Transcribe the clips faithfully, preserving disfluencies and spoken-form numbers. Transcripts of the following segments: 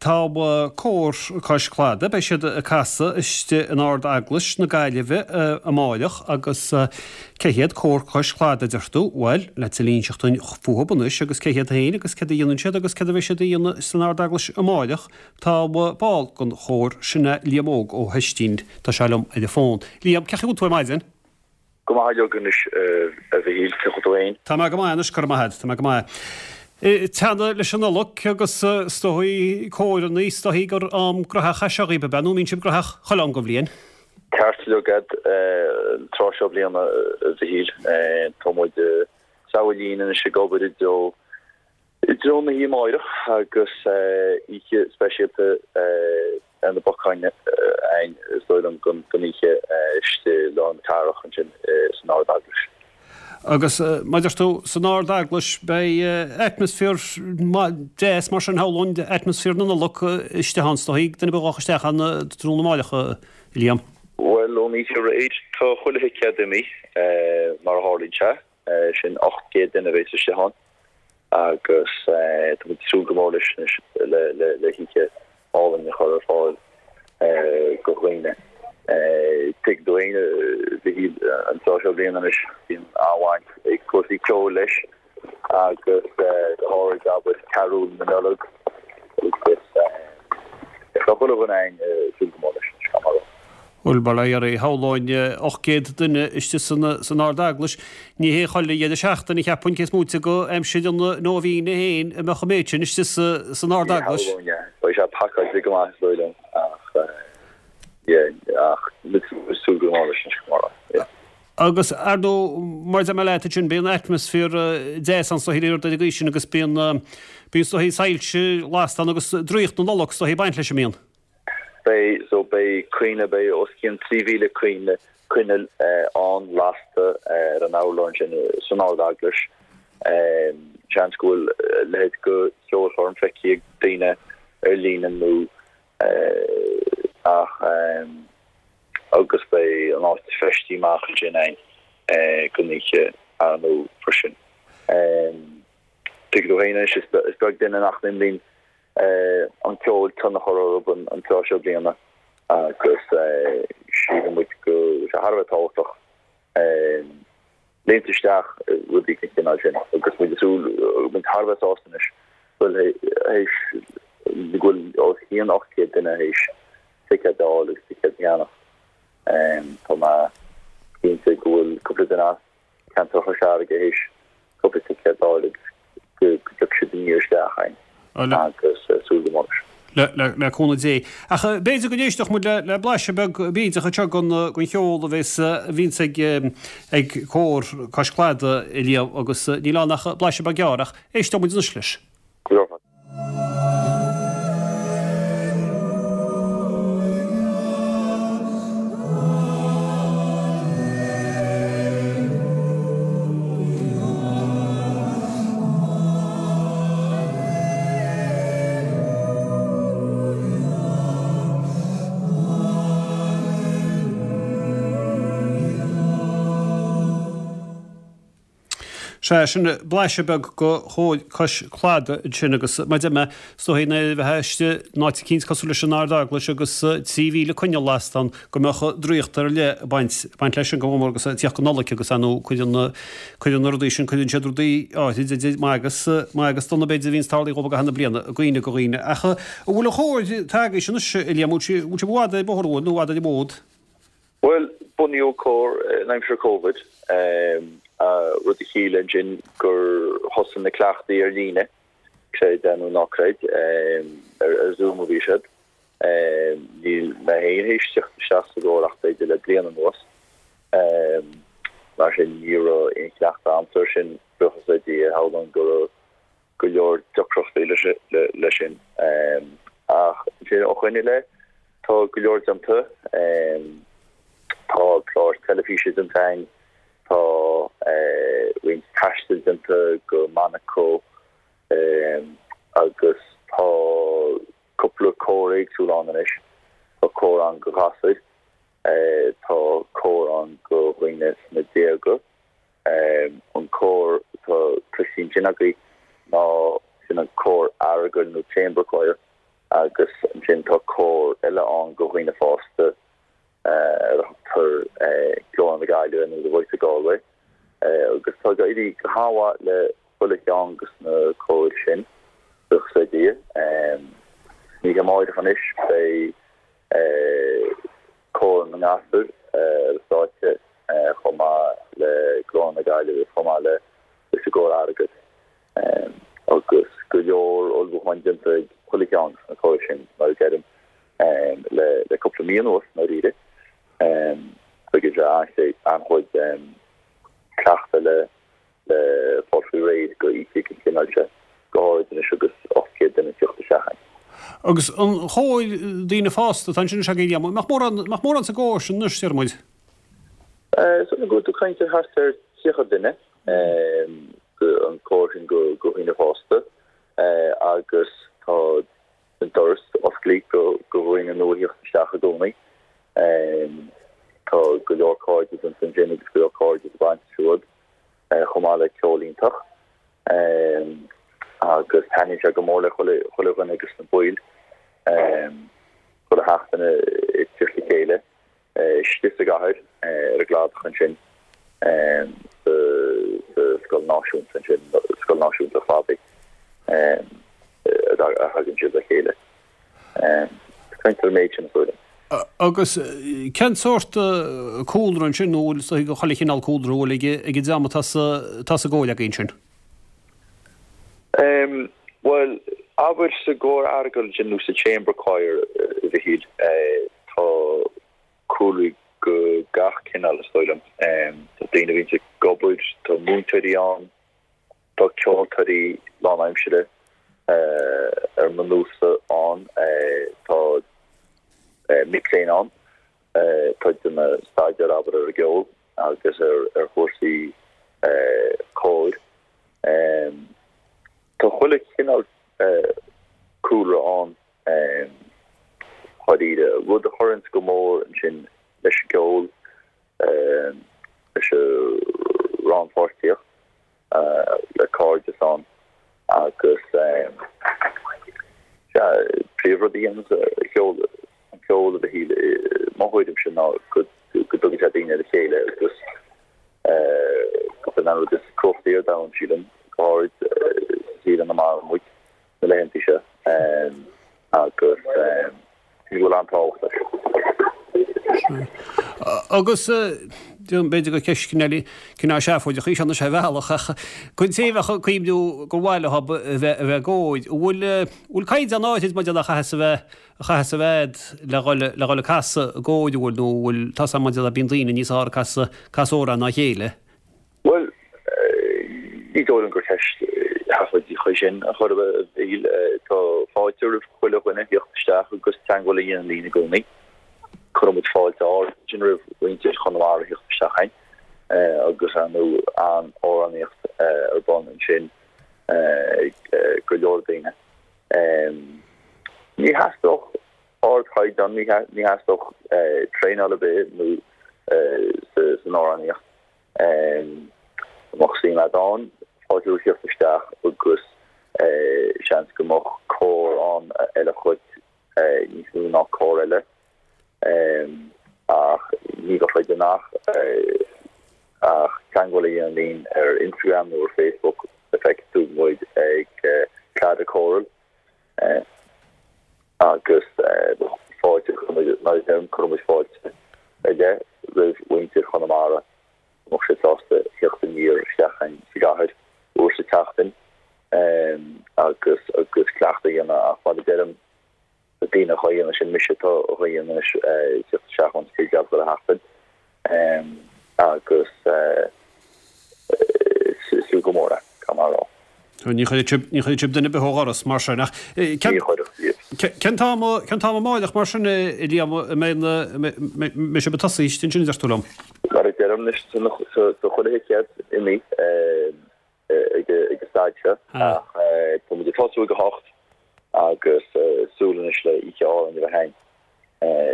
Tá Cór Cois Cladaigh, beidh siad ag casadh istigh in Ard-Eaglais na Gaillimhe amáireach agus cé hiad Cór Cois Cladaigh a deir tú? Bhuel, le tuilleadh a inseacht dúinn fúthu anois agus cé hiad féin agus céard a dhéanann siad agus céard a bheidh siad a dhéanamh san Ard-Eaglais amáireach, tá ball den chór, sin é Liam Óg Ó hOistín, tá sé liom ar an bhfón. Liam, cén chaoi a bhfuil tú ar maidin? Go maith uilig anois a Mhichíl, cén chaoi a bhfuil tú féin? Tá mé go maith anois, go raibh maith agat, tá mé go maith. Teannadh leis an Nollaig agus is dóigh córannaí, is dóigh gur am graitheach é seo dhaoibh, ab ea, nó an mbíonn sibh graitheach chuile am den bhliain? Ceart uilig an tráth seo bliana a Mhichíl. Tá muid sa bhliain anois ag obair i dtreo i dtreo na hoíche amáireach agus oíche speisialta ar na bacáin againn is dóigh liom don oíche istigh i lár na cathrach ansin san Ard-Eaglais. Agus mar a deir tú, san Ard-Eaglais beidh atmaisféar deas mar sin shamhlóinn, atmaisféar na Nollag istigh ann is dóigh, duine ar bith a ghabhfadh isteach ann tráthnóna amáireach, a Liam. Bhuel, ón oíche aréir tá chuile thicéad imithe mar a tharlaíonn sé, sin ocht gcéad duine a bheas istigh ann. Agus tá muid ag súil go mór leis anois le hoíche álainn a chur ar fáil do dhaoine. Tuigeann tú féin, a Mhichíl, an tráth seo bliana anois, bíonn an-bhaint ag cúrsaí ceoil leis agus go háirid, abair, carúil na Nollag agus tá chuile dhuine againn ag súil go mór leis anois, gan amhras. Bhuel, bail ó Dhia oraibh, shamhlóinn ocht gcéad duine istigh san Ard-Eaglais. Ní hé chuile dheireadh seachtaine, cheapfainn, cé is móite de aimsir an nóibhíne féin a mbeadh an méid sin istigh san Ard-Eaglais. Ní shamhlóinn é. Beidh sé pacáilte go maith, is dóigh liom, ach yeah, ach ag súil go mór leis anois, go mór, yeah. Agus, ar ndóigh, mar a deir mé leat ansin, bíonn atmaisféar deas ann is dóigh ar an gcaoi sin agus bíonn, bíonn is dóigh soilse lasta ann agus draíocht na Nollag is dóigh ag baint leis, an mbíonn? Beidh, so beidh coinnle, beidh os cionn trí mhíle coinnle, coinneal ann lasta ar an urlár ansin san Ard-Eaglais. Seans go bhfuil a leithéid de cheolchoirm feicthe ag daoine ar líne nó ach agus beidh an áit feistithe amach ansin againn don oíche ar ndóigh freisin. Tuigeann tú féin anois is beag duine nach n-imríonn an ceol tionchar orthu an tráth seo bliana agus síleann muid go bhfuil sé thar a bheith tábhachtach léimt isteach i rudaí den chineál sin agus muid ag súil, muid thar a bheith sásta anois go bhfuil théis go bhfuil os cionn ocht gcéad duine théis ticéad a fháil agus ticéad a cheannach. Tá mé cinnte go bhfuil cúpla duine as ceantar Chois Fharraige théis cúpla ticéad a fháil agus go dtiocfaidh siad aniar isteach againn agus súil go mór leis. Le cúnamh Dé. Ach b'fhéidir go n-éistfeadh muid le blaiseadh beag bídeach anseo den cheol a bheas, a bhíonns ag ag Cór Cois Cladaigh, a Liam, agus níl ann ach blaiseadh beag gearr ach éisteoidh muid anois leis. Go raibh. Sea, sin blaiseadh beag de Chór Cois Cladaigh ansin agus mar a deir mé, is dóigh nuair a bheifeá istigh in áit eicínt cosúil leis an Ard-Eaglais agus trí mhíle coinneal lasta ann go mbeadh draíocht ar leith ag baint, baint leis sin go mór agus ag tíocht go Nollaig agus ar ndóigh cuireann, cuireann na rudaí sin, cuireann siad rudaí áithrid idir maith agus, maith agus dona b'fhéidir a bhíonns tarlaithe dhóibh i gcaitheamh na bliana i gcuimhne do dhaoine. Ach an bhfuil an chór tagaithe anois, a Liam, an bhfuil sibh i bhfad ar an bhóthar an bhfuil nó i bhfad ar an bhfód? Bhuel, bunaíodh cór in aimsir Covid, rud a chiallaigh ansin gur thosaigh na cleachtaí ar líne, creid é nó ná creid, ar Zoom a bhí siad. Níl mé féin théis teacht isteach sa gcór ach b'fhéidir le bliain anuas. Mar sin, ní raibh aon chleachtadh a'msa air sin, buíochas le Dia, shamhlóinn go raibh go leor deacrachtaí leis sin. Ach ansin ó shoin i leith, tá go leor déanta. Tá clár teilifíse déanta againn, tá roinnt taistil déanta go Monaco agus tá cúpla cór éagsúil ann anois. Tá cór ann do ghasúir, tá cór ann do dhaoine sna déaga. An cór atá cloiste ansin agaibh ná sin an cór aireagail nó chamber choir. Agus ansin tá cór eile ann do dhaoine fásta ar a thugtar Glór na Gaillimhe nó The Voice of Galway agus tá ag éirí go han-mhaith le chuile cheann de na cóir sin, buíochas le Dia. San oíche amáireach anois beidh cór na ngasúr ar an stáitse chomh maith le Glór na Gaillimhe chomh maith le leis an gcór Aireagail. Agus go leor ullmhúcháin déanta ag chuile cheann de na cóir sin, mar a deirim, le le cúpla mí anuas, i ndáiríre. Tugann sé an-chuid cleachta le le fáil faoi réir go oíche den chineál seo, go háirid anois agus ocht gcéad duine ag teacht isteach ann. Agus an chóir daoine fásta atá ansin is ea, Liam, nach mórán sa gcór sin anois, deir muid? Is dóigh liom go bhfuil tú ag caint ar thart ar tríocha duine, an cór sin do dhaoine fásta, agus tá an doras oscailte do dhaoine nua a theacht isteach i gcónaí. Tá go leor cairde ansin agus go leor cairde ag baint leis siúd, chomh maith le ceol iontach. Agus taitníonn sé go mór le chuile dhuine de na baill, chuile sheachtain ag teacht le chéile. istigh sa gcathair ar an gcladach ansin sa Scoil Náisiúnta ansin, Scoil Náisiúnta an Chladaigh, a thagann siad le chéile. Caint ar an méid sin, is dóigh liom. Agus cén sórt cúlra ansin, nó bhfuil chuile chineál cúlra a bhfuil ag an dream atá sa gcór againn sin? Bhuel, abair sa gcór Aireagail ansin nó sa Chamber Choir, a Mhichíl, tá cúlraí de gach cineál, is dóigh liom. Tá daoine a bhíonns ag obair, tá múinteoirí ann, tá ceoltóirí lánaimsire ar mo nós-sa ann, tá mic léinn ann, tá daoine ag staidéar, abair, ar an gceol agus ar chúrsaí cóir. Tá chuile chineál cúlra ann. Dháiríre, rud a chuireanns go mór ansin leis an gceol, leis an rannpháirtíocht, le cairdeas ann agus sea, príomhrud a dhéananns an ceol, an ceol a Mhichíl, i mo thuairimse ná go dtugann sé daoine le chéile agus gurb in an rud is cumhachtaí ar domhan, sílim, go háirid sa saol ina maireann muid. na laethanta seo agus go bhfuil an-tábhacht leis. Agus b'fhéidir gur ceist cineál seafóideach í seo anois ar bhealach ach don té a bheadh ag cuimhniú gur mhaith leo a bheith i gcór, an bhfuil bhfuil caighdeán áirid maidir le a chaithfeas a bheith a chaithfeas a bheith le dhul le dhul ag casadh i gcór, an bhfuil nó an bhfuil tá 's agam maidir le bíonn daoine níos fearr ag casadh casadh amhrán ná a chéile? Bhuel, ní dóigh liom gur ceist sheafóideach í sin ar chor ar bith, a Mhichíl. Tá fáilte roimh chuile dhuine theacht isteach agus teagmháil a dhéanamh linn i gcónaí. Cuireann muid fáilte ard ansin roimh mhuintir Chonamara theacht isteach chugainn agus ar ndóigh an-amhránaíocht ar bun ansin ag go leor daoine. Ní theastódh ardchaighdeán, ní theastódh traenáil ar bith nó san amhránaíocht. Dá mbeadh suim agat ann, fáilte romhat theacht isteach agus seans go mbeadh cór ann a fheilfeadh dhuit níos mó ná cór eile. Ach ní bheadh againn ach ach teagmháil a dhéanamh linn ar Instagram nó ar Facebook, feicfidh tú muid ag Claddagh Choral agus fáilte, mar a deirim, cuireann muid fáilte ar leith roimh mhuintir Chonamara. mbeadh siad sásta theacht aniar isteach chugainn sa gcathair uair sa tseachtain agus agus cleachtadh a dhéanamh ach mar a deirim na daoine atá á dhéanamh sin mise atá á dhéanamh anois theacht isteach ón Spidéal chuile sheachtain agus is fiú go mór é, caithfidh mé a rá. Ní chuirfidh sibh duine ar bith ó dhoras mar sin ach cén t-am cén t-am amáireach mar sin a Liam a mbeidh sibh ag tosaí istigh ansin a deir tú liom? Mar a deirim anois tá chuile thicéad imithe ag an staid seo ach tá muid ag tosú ag a hocht agus súil anois le oíche álainn a bheith againn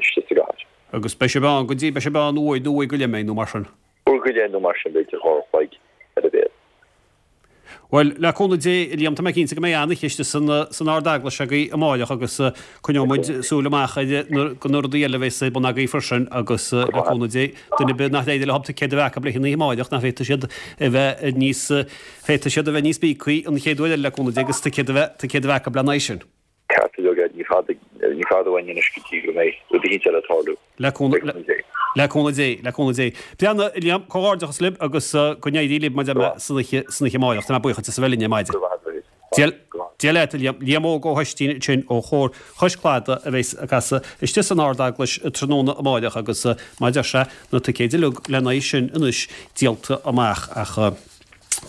istigh sa gcathair. Agus beidh sibh ann go dtí beidh sibh ann uair nó uair go leith nó mar sin? Uair go leith nó mar sin b'fhéidir dhá uair a chloig ar a mhéad. Bhuel, le cúnamh Dé, a Liam, tá mé cinnte go mbeidh an-oíche istigh san san Ard-Eaglais agaibh amáireach agus coinneoidh muid súil amach ar na rudaí eile a bheas ar bun agaibh freisin agus le cúnamh Dé, duine ar bith nach éireoidh leo ticéad a bheith acu le haghaidh an oíche amáireach, nach bhféadfaidh siad a bheith níos, féadfaidh siad a bheith níos bíogthaí an chéad uair eile le cúnamh Dé agus ticéad a bheith, ticéad a bheith acu lena aghaidh sin. Ceart go leor, ní fada, ní fada uainn anois go dtí go mbeidh rud eicínt eile ag tarlú. Le cúnamh Dé. Le cúnamh Dé, le cúnamh Dé. Breathnaigh, a Liam, comhghairdeachas libh agus go n-éirí libh mar a deir mé san oíche, san oíche amáireach. Tá mé buíoch duit as a bheith linn ar maidin. Go raibh maith agat. Dia leat, a Liam. Liam Óg Ó hOistín ansin ó Chór Chois Cladaigh a bheas ag casadh istigh san Ard-Eaglais tráthnóna amáireach agus mar a deir sé, na ticéid uilig lena aghaidh sin anois díolta amach ach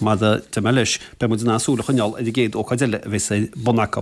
mar a deir mé leis, beidh muid in ann súil a choinneáil ar an gcéad ócáid eile a bheas ar bun acu.